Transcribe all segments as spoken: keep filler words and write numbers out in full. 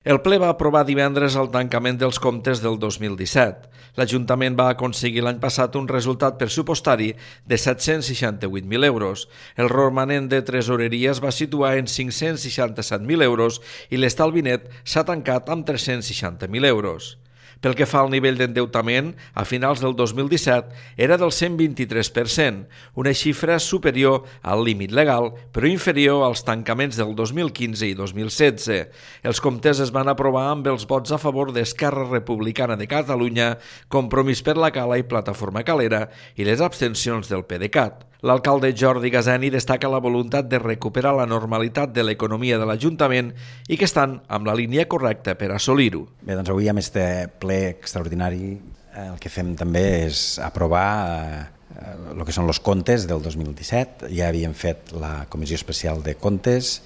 El ple va aprovar divendres el tancament dels comptes del dos mil disset. L'Ajuntament va aconseguir l'any passat un resultat pressupostari de set-cents seixanta-vuit mil euros. El romanent de tresoreria es va situar en cinc-cents seixanta-set mil euros i l'estalvi net s'ha tancat amb tres-cents seixanta mil euros. Pel que fa al nivell d'endeutament, a finals del dos mil disset era del cent vint-i-tres per cent, una xifra superior al límit legal, però inferior als tancaments del dos mil quinze i dos mil setze. Els comptes es van aprovar amb els vots a favor d'Esquerra Republicana de Catalunya, Compromís per la Cala i Plataforma Calera i les abstencions del PDeCAT. L'alcalde Jordi Gazeni destaca la voluntat de recuperar la normalitat de l'economia de l'Ajuntament i que estan amb la línia correcta per assolir-ho. Bé, doncs avui amb este ple extraordinari el que fem també és aprovar eh, el que són els comptes del dos mil disset. Ja havíem fet la Comissió Especial de Comptes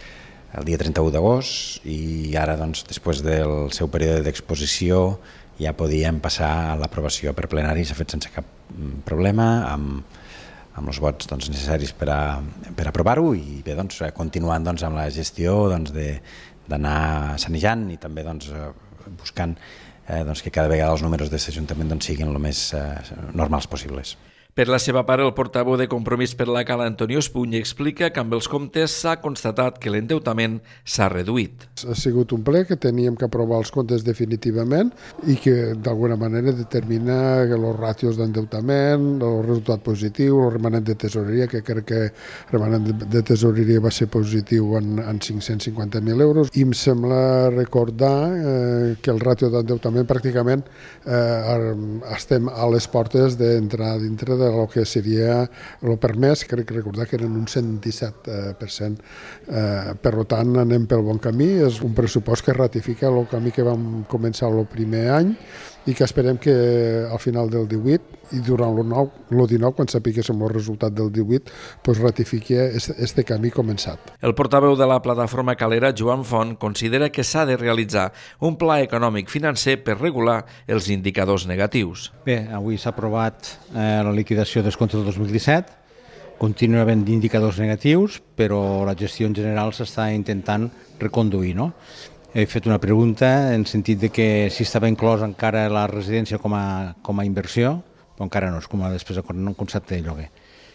el dia trenta-u d'agost i ara, doncs, després del seu període d'exposició ja podíem passar a l'aprovació per plenari. S'ha fet sense cap problema, amb amb els vots doncs, necessaris per, a, per aprovar-ho i bé, doncs, continuant doncs, amb la gestió doncs, d'anar sanejant i també doncs, buscant eh, doncs, que cada vegada els números de l'Ajuntament doncs, siguin el més eh, normals possibles. Per la seva part, el portaveu de Compromís per la Cala, Antonio Espuny, explica que amb els comptes s'ha constatat que l'endeutament s'ha reduït. Ha sigut un ple que teníem que aprovar els comptes definitivament i que d'alguna manera determina els ràtios d'endeutament, el resultat positiu, el remanent de tesoreria, que crec que el remanent de tesoreria va ser positiu en, en cinc-cents cinquanta mil euros. I em sembla recordar eh, que el ràtio d'endeutament pràcticament eh, estem a les portes d'entrar dintre de el que seria el permès, crec que recordar que eren un cent disset per cent. Eh, per tant, anem pel bon camí. És un pressupost que ratifica el camí que vam començar el primer any i que esperem que al final del divuit i durant el dinou, quan sapiguéssim el resultat del divuit, pues ratifiqui este camí començat. El portaveu de la Plataforma Calera, Joan Font, considera que s'ha de realitzar un pla econòmic financer per regular els indicadors negatius. Bé, avui s'ha aprovat eh, la liquidació dels comptes del dos mil disset. Continua havent indicadors negatius, però la gestió en general s'està intentant reconduir, no? He fet una pregunta en sentit de que si estava inclòs encara la residència com a, com a inversió, però encara no, és com a després un concepte de lloguer.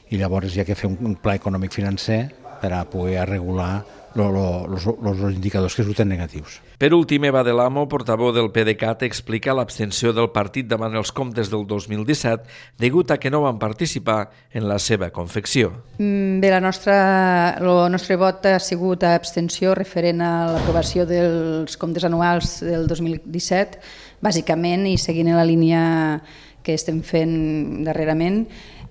I llavors hi ha que fer un pla econòmic financer per a poder regular els indicadors que surten negatius. Per últim, Eva de l'Amo, portaveu del PDeCAT, explica l'abstenció del partit davant els comptes del dos mil disset degut a que no van participar en la seva confecció. Bé, la nostra, el nostre vot ha sigut a abstenció referent a l'aprovació dels comptes anuals del dos mil disset, bàsicament, i seguint la línia que estem fent darrerament,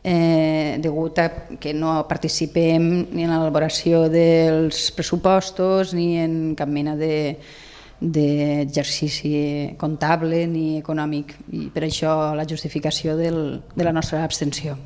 Eh, degut a que no participem ni en l'elaboració dels pressupostos ni en cap mena d'exercici de, comptable ni econòmic, i per això la justificació del, de la nostra abstenció.